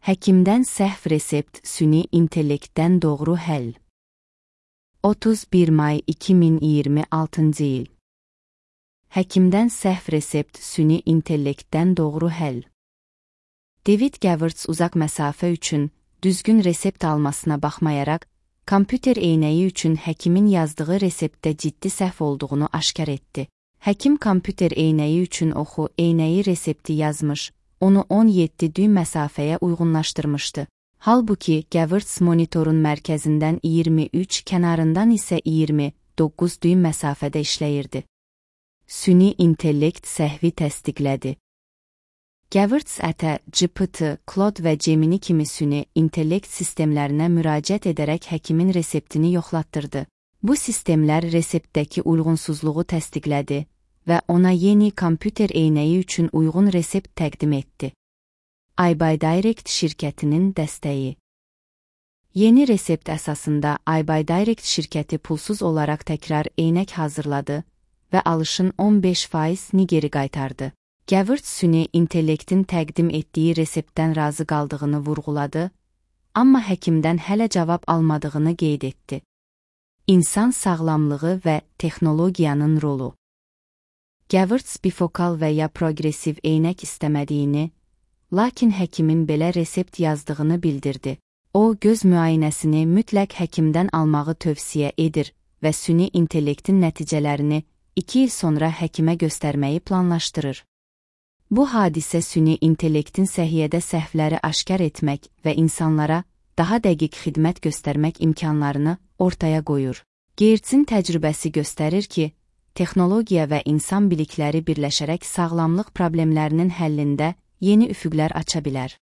Həkimdən səhv resept süni intellektdən doğru həll. 31 may 2026 il. Həkimdən səhv resept süni intellektdən doğru həll. David Gewertz uzaq məsafə üçün düzgün resept almasına baxmayaraq, kompüter eynəyi üçün həkimin yazdığı reseptdə ciddi səhv olduğunu aşkar etdi. Həkim kompüter eynəyi üçün oxu eynəyi resepti yazmış, onu 17 düym məsafəyə uyğunlaşdırmışdı. Halbuki Gewertz monitorun mərkəzindən 23, kənarından isə 29 düym məsafədə işləyirdi. Süni intellekt səhvi təsdiqlədi. Gewertz GPT, Claude və Gemini kimi süni intellekt sistemlərinə müraciət edərək həkimin reseptini yoxlatdırdı. Bu sistemlər reseptdəki uyğunsuzluğu təsdiqlədi və ona yeni kompüter eynəyi üçün uyğun resept təqdim etdi. iBuyDirect şirkətinin dəstəyi. Yeni resept əsasında iBuyDirect şirkəti pulsuz olaraq təkrar eynək hazırladı və alışın 15%-ni geri qaytardı. Gewertz süni intellektin təqdim etdiyi reseptdən razı qaldığını vurğuladı, amma həkimdən hələ cavab almadığını qeyd etdi. İnsan sağlamlığı və texnologiyanın rolu. Gewertz bifokal və ya progresiv eynək istəmədiyini, lakin həkimin belə resept yazdığını bildirdi. O, göz müayinəsini mütləq həkimdən almağı tövsiyə edir və süni intellektin nəticələrini 2 il sonra həkimə göstərməyi planlaşdırır. Bu hadisə süni intellektin səhiyyədə səhvləri aşkar etmək və insanlara daha dəqiq xidmət göstərmək imkanlarını ortaya qoyur. Gewertzin təcrübəsi göstərir ki, texnologiya və insan bilikləri birləşərək sağlamlıq problemlərinin həllində yeni üfüqlər aça bilər.